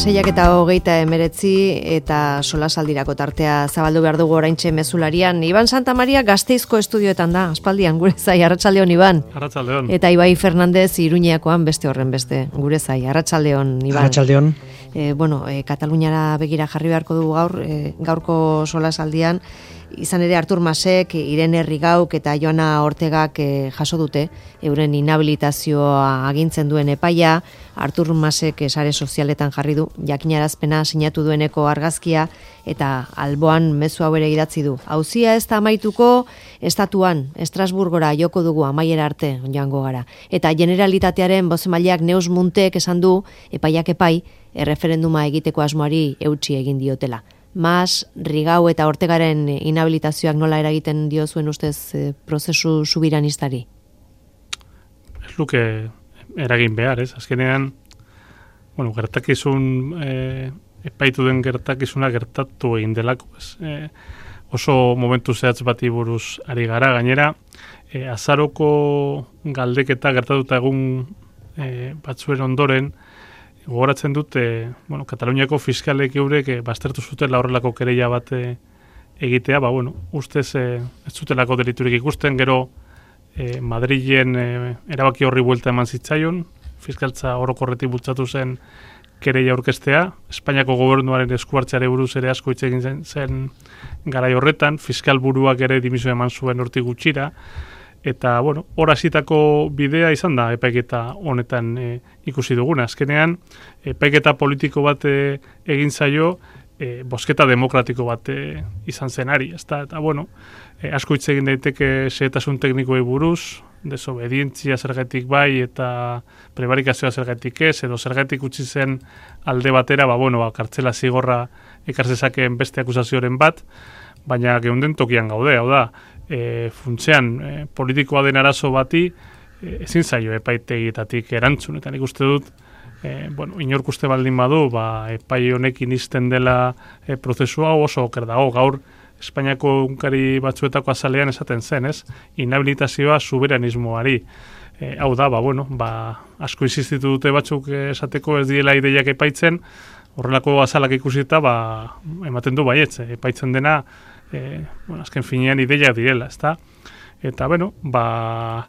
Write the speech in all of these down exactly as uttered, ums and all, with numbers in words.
Seiak eta hogeita emeretzi eta solasaldirako tartea zabaldu behar dugu oraintxe mezularian. Iban Santamaria Gasteizko estudioetan da, aspaldian gure zai, arratsaldeon Iban. Arratsaldeon. Eta Ibai Fernandez Iruñeakoan beste horren beste, gure zai, arratsaldeon Iban. Arratsaldeon. E, bueno, e, Kataluniara begira jarri beharko dugu gaur, e, gaurko solasaldian, izan ere Artur Masek, Irene Rigauk eta Joana Ortegak e, jaso dute, euren inhabilitazioa agintzen duen epaia. Artur Masek sare sozialetan jarri du, jakinarazpena sinatu dueneko argazkia eta alboan mezu hau ere idatzi du. Auzia ez da amaituko, estatuan, Estrasburgora joko dugu amaiera arte joango gara. Eta Generalitatearen bozemaileak Neus Muntek esan du, epaiak epai, erreferenduma egiteko asmoari eutsi egin diotela. Mas, Rigau eta Ortegaren inhabilitazioak nola eragiten dio zuen ustez e, prozesu subiranistari? Ez luke eragin behar, ez? Azkenean, bueno, gertakizun, e, epaitu den gertakizuna gertatu egin delako, ez? E, oso momentu zehatz bati buruz ari gara, gainera, e, azaroko galdeketa gertatuta egun e, batzuen ondoren, gogoratzen dute, bueno, Kataluniako fiskalek eurek e, baztertu zutela horrelako kereia bat e, egitea, ba, bueno, ustez e, ez zutelako deliturik ikusten, gero e, Madrilen e, erabaki horri buelta eman zitzaion, fiskaltza orokorretik bultzatu zen kereia aurkeztea, Espainiako gobernuaren eskuartzeare buruz ere asko hitz egin zen, zen garai horretan, fiskal buruak ere dimiso eman zuen hortik gutxira, eta, bueno, hor hasitako bidea izan da epaiketa honetan e, ikusi duguna. Azkenean, epaiketa politiko bat e, egin zaio, e, bosketa demokratiko bat e, izan zenari. Ezta? Eta, bueno, e, asko hitz egin daiteke xehetasun teknikoei buruz, desobedientzia zergatik bai eta prebarikazioa zergatik ez, edo zergatik utzi zen alde batera, ba, bueno, ba, kartzela zigorra ekar zezakeen beste akusazioren bat, baina geunden tokian gaude, hau da, E, funtzean e, politikoa den arazo bati e, ezin zaio epaitegietatik erantzun, eta nik uste dut e, bueno, inork uste baldin badu ba, epai honekin izten dela e, prozesua oso oker dago. Gaur Espainiako unkari batzuetako azalean esaten zen, ez? Inhabilitazioa soberanismoari. E, hau da, ba, bueno, ba, asko insistitu dute batzuk esateko ez diela ideiak epaitzen, horrelako azalak ikusita ba, ematen du baietz, epaitzen dena E, bueno, azken finean ideiak direla, ezta? Eta, bueno, ba,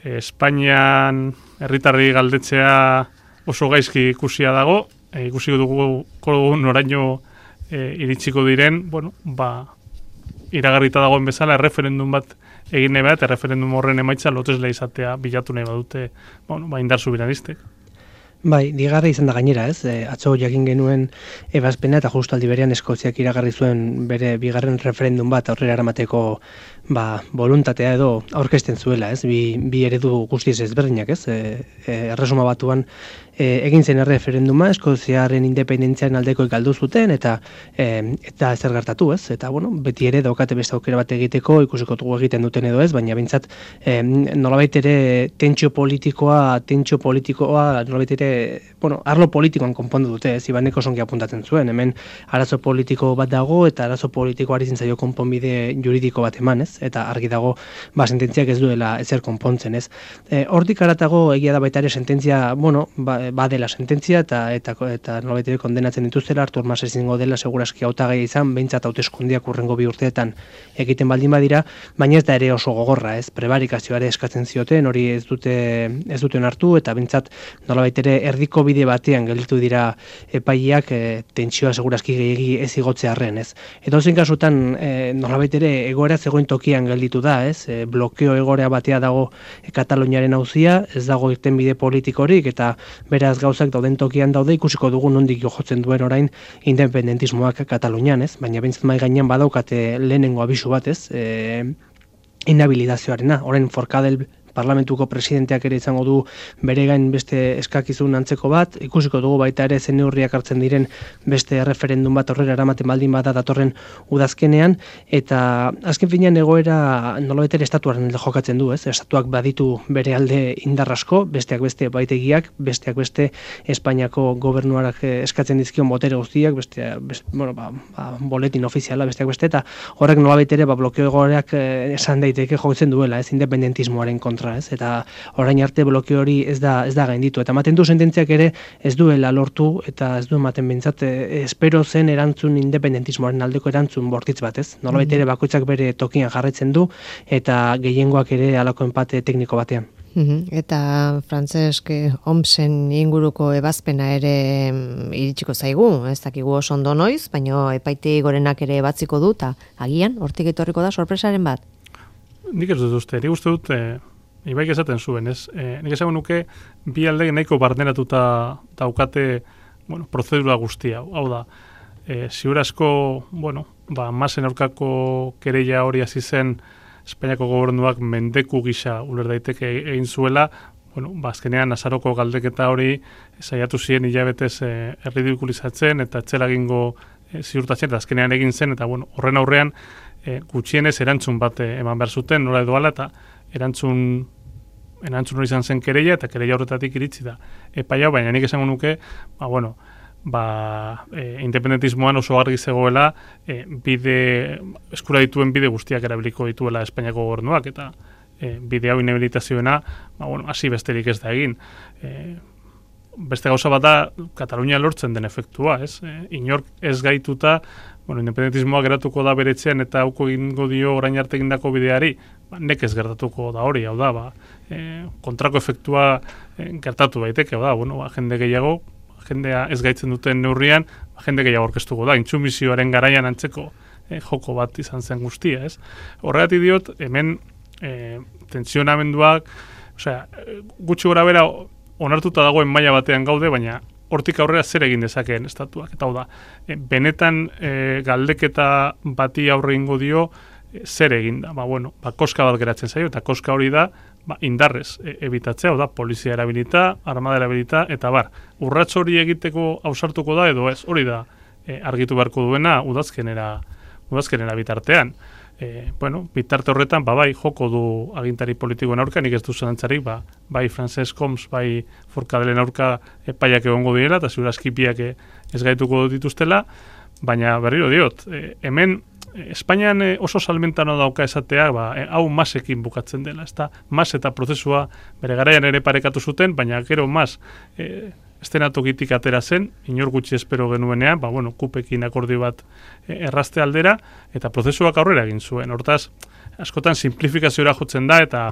Espainian herritarri galdetzea oso gaizki ikusia dago, e, ikusi dugu noraino e, iritsiko diren, bueno, ba, iragarrita dagoen bezala erreferendum bat egin nahi bat, erreferendum horren emaitza lotesle izatea bilatu nahi badute, bueno, ba, indar subiranistek. Bai, digarra izan da gainera, ez? E, atzo jakin genuen ebazpena eta justu aldi berean Eskoziak iragarri zuen bere bigarren referendum bat aurrera eramateko ba, voluntatea edo aurkezten zuela, ez? Bi, bi eredu guztiz ezberdinak, ez? E, e, erresuma batuan e, egin zen referenduma, Eskoziaren independentziaren aldeko galdu zuten eta e, eta zer gertatu, ez? Eta, bueno, beti ere daukate beste aukera bat egiteko, ikusiko dugu egiten duten edo ez, baina bintzat e, nolabait ere tentsio politikoa, tentsio politikoa nolabait ere bueno, arlo politikoan konpondu dute, ez, Ibaneko songi apuntatzen zuen, hemen arazo politiko bat dago eta arazo politikoari zintzaio konponbide juridiko bat eman, ez, eta argi dago, ba, sententziak ez duela ezer konpontzen, ez. E, hortik aratago egia da baita ere sententzia, bueno, ba, badela sententzia eta eta eta nolabait ere kondenatzen dituztela, Artur Mas ezingo dela segurazki hautagai izan, behintzat hauteskundeak hurrengo bi urteetan egiten baldin badira, baina ez da ere oso gogorra, ez, prebarikazioare eskatzen zioten, hori ez dute ez duten hartu eta behintzat nolabait ere erdiko bide batean gelditu dira epaileak e, tentsioa segurazki gehiegi ez igotzearren, ez. Eta ozen kasutan e, nolabait ere egoera zegoen tokian gelditu da, ez. E, blokeo egoera batea dago e, Kataluniaren auzia, ez dago irtenbide politikorik eta beraz gauzak dauden tokian daude, ikusiko dugu nondik jotzen duen orain independentismoak Katalunian, ez. Baina behintzat mai gainean badaukate lehenengo abisu bat, ez. E, inhabilitazioarena, orain Forcadell parlamentuko presidenteak ere izango du bere gain beste eskakizun antzeko bat, ikusiko dugu baita ere zen neurriak hartzen diren beste referendum bat aurrera eramaten baldin bada datorren udazkenean, eta azken finean egoera nolabait ere estatuaren alde jokatzen du, ez? Estatuak baditu bere alde indar asko, besteak beste epaitegiak, besteak beste Espainiako gobernuarak eskatzen dizkion botere guztiak, beste, beste bueno, ba, ba, boletin ofiziala besteak beste, eta horrek nolabait ere ba, blokeo egoerak esan daiteke jotzen duela, ez independentismoaren kontra. kontra, ez? Eta orain arte bloke hori ez da ez da gainditu. Eta ematen du sententziak ere ez duela lortu eta ez du ematen behintzat espero zen erantzun independentismoaren aldeko erantzun bortitz bat, ez? Nolabait ere bakoitzak bere tokian jarraitzen du eta gehiengoak ere halako enpate tekniko batean. Eta Francesc Homsen inguruko ebazpena ere iritsiko zaigu, ez dakigu oso ondo noiz, baina epaitegi gorenak ere batziko du, eta agian, hortik etorriko da sorpresaren bat. Nik ez dut uste, nik uste dut, e, ibaik esaten zuen, ez? E, nik esagun nuke, bi alde nahiko barneratuta daukate, bueno, prozedura guztia, hau da, e, ziur asko, bueno, ba, masen aurkako kereia hori hasi zen Espainiako gobernuak mendeku gisa uler daiteke egin zuela, bueno, ba, azkenean azaroko galdeketa hori saiatu ziren hilabetez e, erridikulizatzen eta etxela egingo e, ziurtatzen, eta azkenean egin zen, eta bueno, horren aurrean e, gutxienez erantzun bat eman behar zuten, nola edo ala, eta erantzun erantzun hori izan zen kereia, eta kereia horretatik iritsi da epaia, baina nik esango nuke, ba, bueno, ba, e, independentismoan oso argi zegoela e, bide, eskura dituen bide guztiak erabiliko dituela Espainiako gobernuak, eta e, bide hau inhabilitazioena, ba, bueno, hasi besterik ez da egin. E, beste gauza bat da, Katalunia lortzen den efektua, ez? E, inork ez gaituta, bueno, independentismoa geratuko da beretzean eta hauko egingo dio orain arte egindako bideari, ba, nekez gertatuko da hori, hau da, ba, e, kontrako efektua e, gertatu baiteke, hau da, bueno, ba, jende gehiago, jendea ez gaitzen duten neurrian, jende gehiago aurkeztuko da, intsumisioaren garaian antzeko eh, joko bat izan zen guztia, ez? Horregatik diot, hemen eh, tensionamenduak, osea, gutxi gora bera onartuta dagoen maila batean gaude, baina hortik aurrera zer egin dezakeen estatuak, eta hau da, eh, benetan eh, galdeketa bati aurre ingo dio, eh, zer egin da, ba, bueno, ba, koska bat geratzen zaio, eta koska hori da, ba, indarrez e, ebitatzea, da, polizia erabilita, armada erabilita, eta bar, urrats hori egiteko ausartuko da, edo ez, hori da e, argitu beharko duena udazkenera, udazkenera bitartean. E, bueno, bitarte horretan, ba, bai, joko du agintari politikoen aurka, nik ez du zelantzarik, ba, bai Francesc Homs, bai Forcadelen aurka epaiak egongo direla, eta ziur askipiak ez gaituko dituztela, baina berriro diot, e, hemen Espainian oso salmentano dauka esatea, ba, hau masekin bukatzen dela, ezta mas eta prozesua bere garaian ere parekatu zuten, baina gero mas e, estenatokitik atera zen, inor gutxi espero genuenean, ba, bueno, kupekin akordio bat e, errazte aldera, eta prozesuak aurrera egin zuen. Hortaz, askotan simplifikazioa jotzen da, eta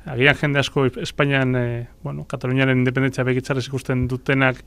agian jende asko Espainian, e, bueno, Kataluniaren independentzia begitzarrez ikusten dutenak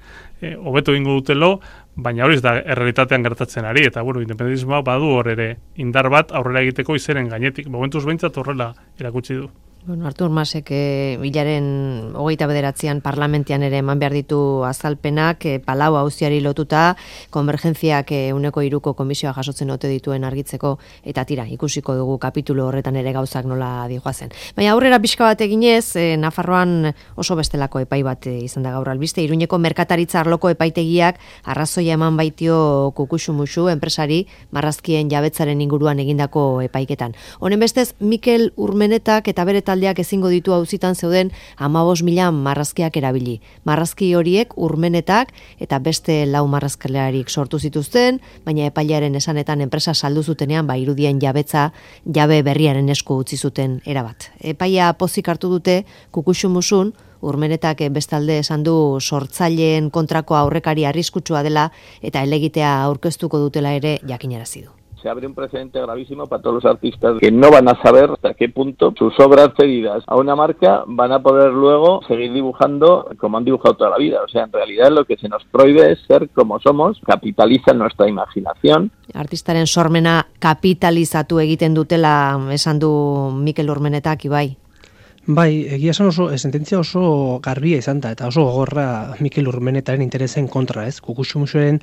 hobeto e, egingo dutelo, baina hori ez da errealitatean gertatzen ari, eta bueno, independentismoa badu hor ere indar bat aurrera egiteko izeren gainetik, momentuz behintzat horrela erakutsi du. Bueno, Artur Masek e, hilaren hogeita bederatzean parlamentian ere eman behar ditu azalpenak, e, Palau auziari lotuta, konvergentziak e, uneko iruko komisioa jasotzen ote dituen argitzeko, eta tira, ikusiko dugu kapitulo horretan ere gauzak nola dijoazen. Baina aurrera pixka bat eginez, e, Nafarroan oso bestelako epai bat e, izan da gaur albiste, Iruñeko merkataritza arloko epaitegiak arrazoia eman baitio Kukuxumuxu enpresari marrazkien jabetzaren inguruan egindako epaiketan. Honen bestez, Mikel Urmenetak eta bere taldeak ezingo ditu auzitan zeuden hamabost mila marrazkiak erabili. Marrazki horiek Urmenetak eta beste lau marrazkalearik sortu zituzten, baina epailearen esanetan enpresa saldu zutenean ba irudien jabetza jabe berriaren esku utzi zuten erabat. Epaia pozik hartu dute Kukuxumusun, Urmenetak bestalde esan du sortzaileen kontrako aurrekari arriskutsua dela eta helegitea aurkeztuko dutela ere jakinarazi du. Se abre un precedente gravísimo para todos los artistas que no van a saber hasta qué punto sus obras cedidas a una marca van a poder luego seguir dibujando como han dibujado toda la vida. O sea, en realidad lo que se nos prohíbe es ser como somos, capitaliza nuestra imaginación. Artistaren sormena kapitalizatu egiten dutela esan du Mikel Urmenetak, Ibai. Bai, egia esan oso, sententzia oso garbia izan da, eta oso gogorra Mikel Urmenetaren interesen kontra, ez? Kukuxumuxuren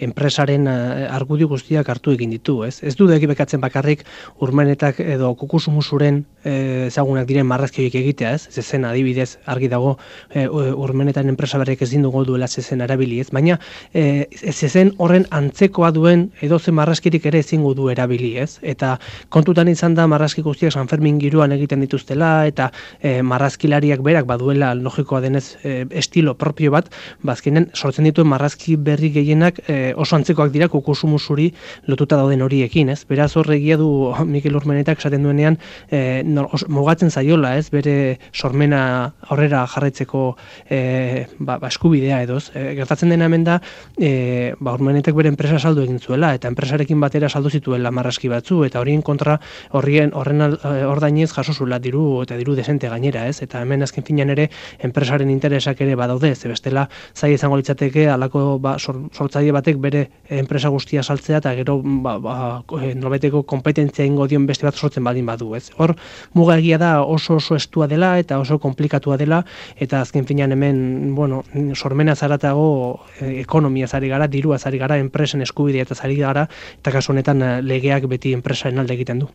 enpresaren argudio guztiak hartu egin ditu, ez? Ez du deki bekatzen bakarrik Urmenetak edo Kukuxumuxuren ezagunak diren marrazki horiek egitea, ez? Zezen adibidez argi dago e, Urmenetaren enpresa berriek ezin dugu duela zezen erabili, ez? Baina e, zezen horren antzekoa duen edozen marrazkirik ere ezingo du erabili, ez? Eta kontutan izan da marrazki guztiak San Fermin giroan egiten dituztela, eta e, marrazkilariak berak baduela logikoa denez e, estilo propio bat, bazkenen sortzen dituen marrazki berri gehienak e, oso antzekoak dira kukusumusuri lotuta dauden horiekin, ez? Beraz horregia du Mikel Urmenetak esaten duenean e, no, os, mugatzen zaiola, ez? Bere sormena aurrera jarraitzeko e, ba, ba, eskubidea edoz. E, gertatzen dena hemen da, e, ba, Urmenetak bere enpresa saldu egin zuela, eta enpresarekin batera saldu zituela marrazki batzu, eta horien kontra horrien horren ordainez jaso zuela diru eta diru desente gainera, ez? Eta hemen azken finean ere enpresaren interesak ere badaude, ze bestela zai izango litzateke halako ba, sor, sortzaile batek bere enpresa guztia saltzea eta gero ba, ba, nolabeteko konpetentzia ingo dion beste bat sortzen baldin badu, ez? Hor muga egia da oso oso estua dela eta oso konplikatua dela, eta azken finean hemen, bueno, sormena zaratago e, ekonomia zari gara, dirua zari gara, enpresen eskubidea eta zari gara, eta kasu honetan legeak beti enpresaren alde egiten du.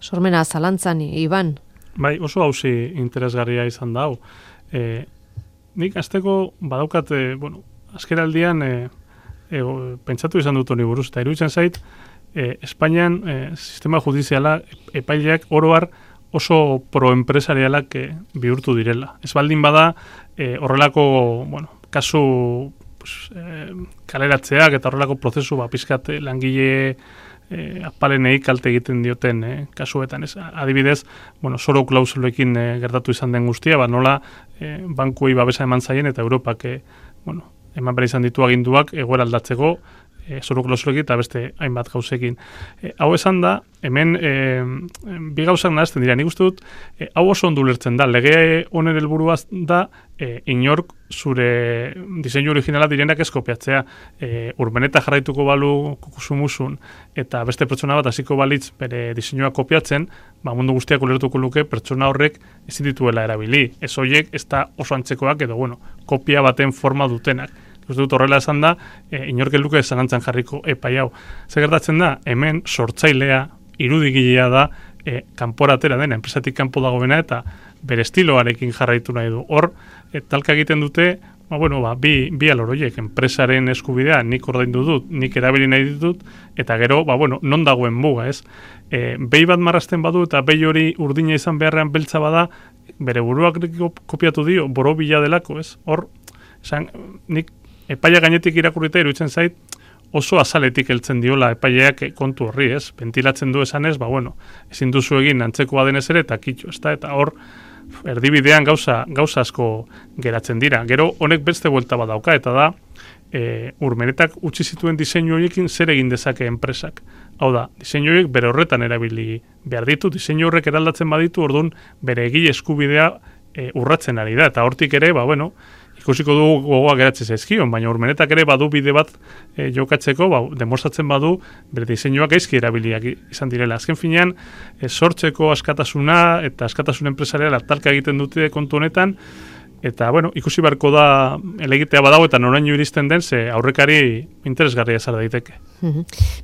Sormena zalantzan, Iban? Bai, oso hauzi interesgarria izan da hau. E, nik azteko badaukat, e, bueno, azkeraldian e, e, pentsatu izan dut honi buruz, eta iruditzen zait, e, Espainian e, sistema judiziala epaileak oroar oso proenpresarialak e, bihurtu direla. Ez baldin bada, e, horrelako, bueno, kasu pues, e, kaleratzeak eta horrelako prozesu ba, pizkat langile E, apalenei kalte egiten dioten e, kasuetan. Ez, adibidez, bueno, zoro klausulekin e, gertatu izan den guztia, ba, nola e, bankuei babesa eman zaien eta Europak e, bueno, eman behar izan ditu aginduak egoera aldatzeko e, zoro klausulekin eta beste hainbat gauzekin. E, hau esan da, hemen e, bi gauzak nahazten dira. Nik uste dut, e, hau oso ondo ulertzen da. Lege honen helburua da e, inork zure diseinu originala direnak ez kopiatzea. E, Urmeneta jarraituko balu kukusumusun eta beste pertsona bat hasiko balitz bere diseinua kopiatzen, ba, mundu guztiak ulertuko luke pertsona horrek ezin dituela erabili. Ez horiek ez da oso antzekoak edo, bueno, kopia baten forma dutenak. Ez dut horrela esan da, e, inork luke zalantzan jarriko epai hau. Zer gertatzen da, hemen sortzailea, irudigilea da, e, kanporatera dena, enpresatik kanpo dagoena eta bere estiloarekin jarraitu nahi du. Hor, e, talka egiten dute, ba, bueno, ba, bi, bi aloroiek, enpresaren eskubidea nik ordaindu dut, nik erabili nahi ditut, eta gero, ba, bueno, non dagoen muga, ez? E, behi bat marrazten badu eta behi hori urdina izan beharrean beltza bada, bere buruak kopiatu dio, borobila delako, ez? Hor, esan, nik epaia gainetik irakurrita iruditzen zait, oso azaletik heltzen diola epaileak kontu horri, ez? Ventilatzen du esanez, ba, bueno, ezin duzu egin antzekoa denez ere, eta kitxo, ez da? Eta hor, erdibidean gauza, gauza asko geratzen dira. Gero, honek beste buelta badauka, eta da, e, Urmenetak utzi zituen diseinu horiekin zer egin dezake enpresak. Hau da, diseinu horiek bere horretan erabili behar ditu, diseinu horrek eraldatzen baditu, orduan bere egile eskubidea e, urratzen ari da, eta hortik ere, ba, bueno, ikusiko du gogoa geratzen zaizkion, baina Urmenetak ere badu bide bat e, jokatzeko, ba, demostratzen badu bere diseinuak gaizki erabiliak izan direla. Azken finean, e, sortzeko askatasuna eta askatasun enpresariala talka egiten dute kontu honetan, eta, bueno, ikusi beharko da elegitea badago eta noraino iristen den, ze aurrekari interesgarria zara daiteke.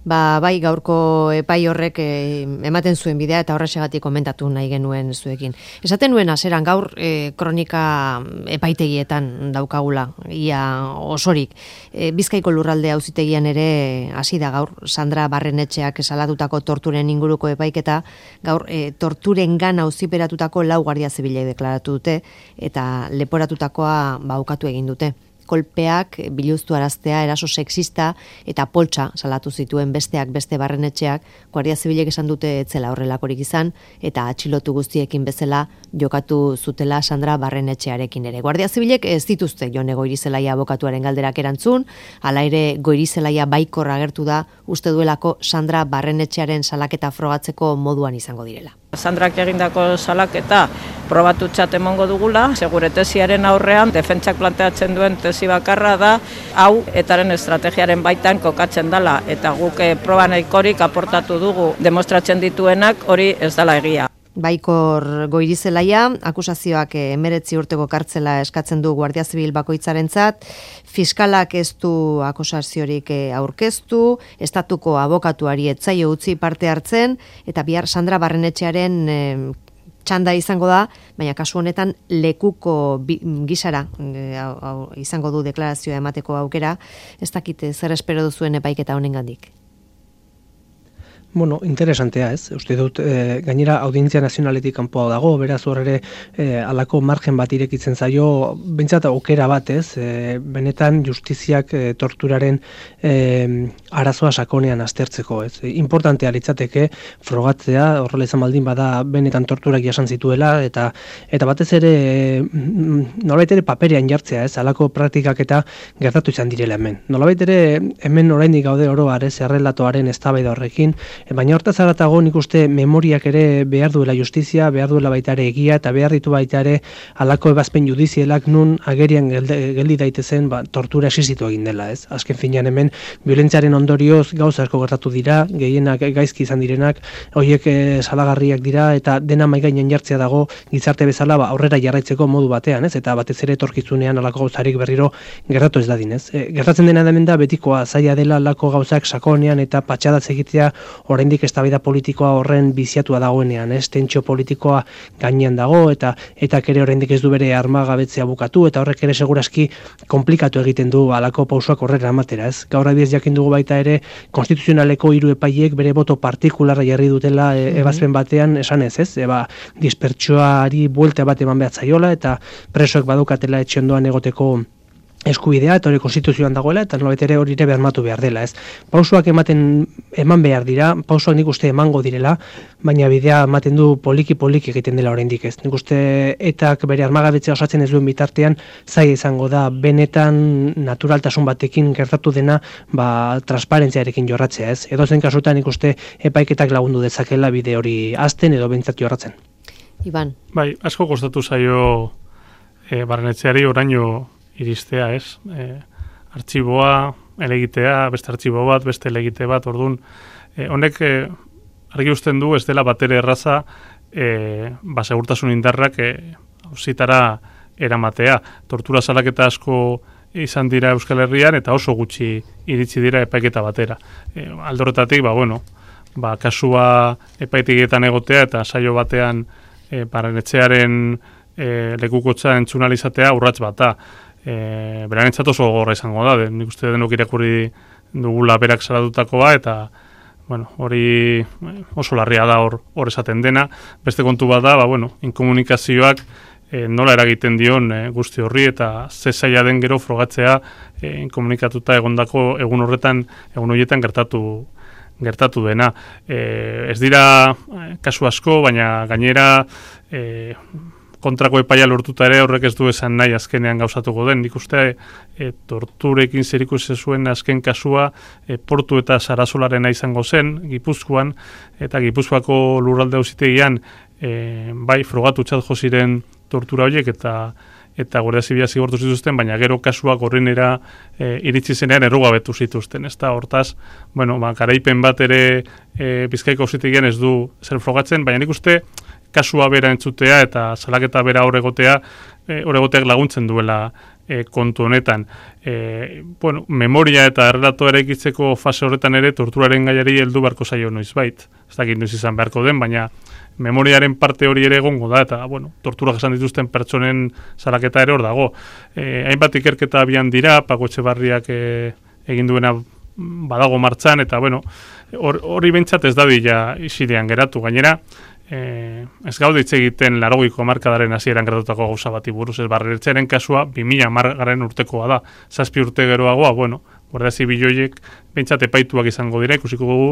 Ba, bai, gaurko epai horrek eh, ematen zuen bidea eta horrexegatik komentatu nahi genuen zuekin. Esaten nuen aseran gaur eh, kronika epaitegietan daukagula, ia osorik. Eh, Bizkaiko lurralde auzitegian ere hasi da gaur, Sandra Barrenetxeak salatutako torturen inguruko epaiketa, gaur eh, torturengan auziperatutako lau guardia zibilek deklaratu dute eta leporatutakoa baukatu egin dute. Kolpeak, biluztu araztea, eraso sexista eta poltsa salatu zituen besteak beste Barrenetxeak, guardia zibilek esan dute etzela horrelakorik izan, eta atxilotu guztiekin bezala jokatu zutela Sandra Barrenetxearekin ere. Guardia zibilek ez dituzte Jone Goirizelaia abokatuaren galderak erantzun, hala ere Goirizelaia baikor agertu da uste duelako Sandra Barrenetxearen salaketa frogatzeko moduan izango direla. Sandrak egindako salaketa probatutzat emongo dugula, segure tesiaren aurrean, defentsak planteatzen duen tesi bakarra da, hau etaren estrategiaren baitan kokatzen dela, eta guk proba nahikorik aportatu dugu demostratzen dituenak hori ez dela egia. Baikor Goirizelaia, akusazioak emeretzi urteko kartzela eskatzen du Guardia Zibil bakoitzarentzat, fiskalak ez du akusaziorik aurkeztu, estatuko abokatuari etzaio utzi parte hartzen, eta bihar Sandra Barrenetxearen e, txanda izango da, baina kasu honetan lekuko bi, gisara e, au, au, izango du deklarazioa emateko aukera, ez dakite zer espero duzuen epaiketa honengandik. Bueno, interesantea, ez? Uste dut, e, gainera audientzia nazionaletik kanpoa dago, beraz hor ere e, alako margen bat irekitzen zaio, bentsat aukera bat, ez? E, benetan justiziak e, torturaren e, arazoa sakonean aztertzeko, ez? E, importantea litzateke frogatzea, horrela izan baldin bada benetan torturak jasan zituela, eta eta batez ere e, nolabait ere paperean jartzea, ez? Alako praktikak eta gertatu izan direla hemen. Nolabait ere hemen oraindik gaude oro har, ez? Errelatoaren eztabaida horrekin. Baina hortaz haratago nik uste memoriak ere behar duela justizia, behar duela baita ere egia eta behar ditu baita ere halako ebazpen judizialak nun agerian geldi daitezen ba, tortura existitu egin dela, ez? Azken finean hemen violentziaren ondorioz gauza asko gertatu dira, gehienak gaizki izan direnak, horiek e, salagarriak dira eta dena mahai gainean jartzea dago gizarte bezala ba, aurrera jarraitzeko modu batean, ez? Eta batez ere etorkizunean halako gauzarik berriro gertatu ez dadin, ez? E, gertatzen dena hemen da betikoa zaila dela halako gauzak sakonean eta patxadatz egitea oraindik eztabaida politikoa horren biziatua dagoenean, ez? Tentsio politikoa gainean dago eta eta ere oraindik ez du bere armagabetzea bukatu eta horrek ere segurazki konplikatu egiten du halako pausoak horrela ematera, ez? Gaur adibidez jakin dugu baita ere konstituzionaleko hiru epaileek bere boto partikularra jarri dutela e, ebazpen batean esan ez, ez? Eba dispertsioari buelta bat eman behar zaiola eta presoek badukatela etxe ondoan egoteko eskubidea eta hori konstituzioan dagoela eta nolabait ere hori ere bermatu behar dela, ez? Pausoak ematen eman behar dira, pausoak nik uste emango direla, baina bidea ematen du poliki poliki egiten dela oraindik, ez? Nik uste etak bere armagabetzea osatzen ez duen bitartean zaila izango da benetan naturaltasun batekin gertatu dena, ba transparentziarekin jorratzea, ez? Edozein kasutan nik uste epaiketak lagundu dezakela bide hori hazten edo behintzat jorratzen. Iban. Bai, asko kostatu zaio e, barrenetxeari oraino iristea, ez? E, artxiboa, elegitea, beste artxibo bat, beste elegite bat, orduan, e, honek e, argi usten du ez dela batere erraza e, ba, segurtasun indarrak e, auzitara eramatea. Tortura salaketa asko izan dira Euskal Herrian eta oso gutxi iritsi dira epaiketa batera. E, aldorretatik, ba, bueno, ba, kasua epaitegietan egotea eta saio batean e, Barrenetxearen e, lekukotza entzunalizatea urrats bat da. E, Beranentzat oso gogorra izango da, den, nik uste denok irakurri dugula berak salatutakoa eta bueno, hori oso larria da hor hor esaten dena. Beste kontu bat da, ba, bueno, inkomunikazioak e, nola eragiten dion e, guzti horri eta ze zaila den gero frogatzea e, inkomunikatuta egondako egun horretan, egun horietan gertatu gertatu dena. E, ez dira kasu asko, baina gainera e, kontrako epaia lortuta ere horrek ez du esan nahi azkenean gauzatuko den. Nik uste e, torturekin zerikusi zuen azken kasua e, Portu eta Sarasolarena izango zen, Gipuzkoan, eta Gipuzkoako lurralde auzitegian e, bai frogatutzat jo ziren tortura horiek eta eta Guardia Zibila zigortu zituzten, baina gero kasuak horrenera e, iritsi zenean errugabetu zituzten. Ez da, hortaz, bueno, ba, garaipen bat ere e, Bizkaiko auzitegian ez du zer frogatzen, baina nik uste kasua bera entzutea eta salaketa bera horregotea, e, horregoteak laguntzen duela e, kontu honetan. E, bueno, memoria eta errelato eraikitzeko fase horretan ere torturaren gaiari heldu beharko zaio noizbait. Ez dakit noiz izan beharko den, baina memoriaren parte hori ere egongo da, eta bueno, torturak esan dituzten pertsonen salaketa ere hor dago. E, hainbat ikerketa abian dira, Paco Etxebarriak e, egin duena badago martxan, eta bueno, hori or, bentsat ez dadila isidean geratu. Gainera, e, ez gaude hitz egiten laurogeiko hamarkadaren hasieran gertatutako gauza bati buruz, ez Barrenetxearen kasua bi mila hamargarren urtekoa da, zazpi urte geroagoa, bueno, Guardia Zibil horiek bentsat epaituak izango dira, ikusiko dugu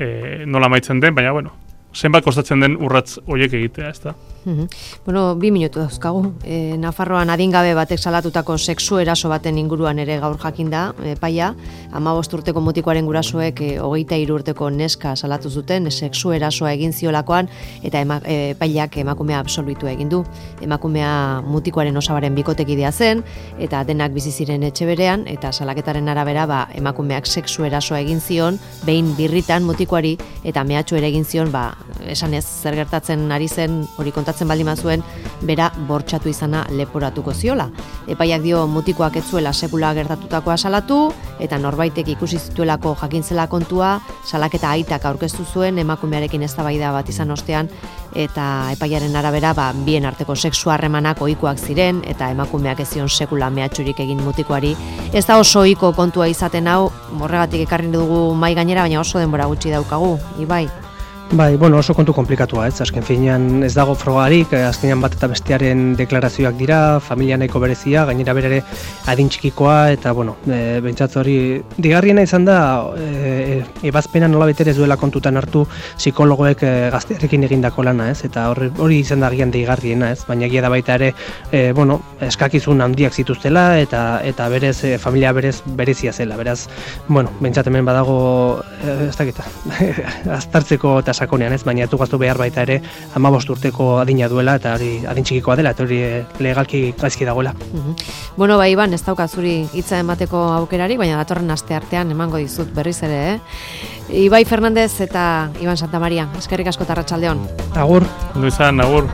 e, nola amaitzen den, baina bueno, zenbat kostatzen den urratz horiek egitea, ez da? Mm-hmm. Bueno, bi minutu dauzkagu. E, Nafarroan adingabe batek salatutako sexu eraso baten inguruan ere gaur jakin da, epaia, hamabost urteko mutikoaren gurasoek e, hogeita hiru urteko neska salatu zuten, sexu erasoa egin ziolakoan, eta ema, e, epaileak emakumea absolbitu egin du. Emakumea mutikoaren osabaren bikotekidea zen, eta denak bizi ziren etxe berean, eta salaketaren arabera ba, emakumeak sexu erasoa egin zion, behin birritan mutikoari, eta mehatxu ere egin zion, ba, esan ez, zer gertatzen ari zen, hori kontatzen baldin bazuen, bera bortxatu izana leporatuko ziola. Epaiak dio mutikoak ez zuela sekula gertatutakoa salatu, eta norbaitek ikusi zituelako jakintzela kontua, salaketa aitak aurkeztu zuen emakumearekin eztabaida bat izan ostean, eta epaiaren arabera ba, bien arteko sexu harremanak ohikoak ziren, eta emakumeak ez zion sekula mehatxurik egin mutikoari. Ez da oso ohiko kontua izaten hau, horregatik ekarri dugu mai gainera, baina oso denbora gutxi daukagu, Ibai. Bai, bueno, oso kontu komplikatua, ez? Azken finean ez dago frogarik, azkenean bat eta bestearen deklarazioak dira, familia nahiko berezia, gainera berere adin txikikoa, eta, bueno, e, bentsatz hori, digarriena izan da, e, ebazpena nola beter ez duela kontutan hartu psikologoek e, gaztearekin egindako lana, ez? Eta hori, hori izan da gian digarriena, ez? Baina egia da baita ere, e, bueno, eskakizun handiak zituztela, eta eta berez, e, familia berez berezia zela, beraz, bueno, bentsat hemen badago, e, ez dakita, aztartzeko eta sakonean, ez, baina etu gaztu behar baita ere hamabost urteko adina duela eta hori adin txikikoa dela eta hori legalki gaizki dagoela. Uh-huh. Bueno, bai, Iban, ez daukat zuri hitza emateko aukerari, baina datorren aste artean emango dizut berriz ere, eh? Ibai Fernandez eta Iban Santamaria, eskerrik asko eta arratsaldeon. Agur. Ondo izan, agur.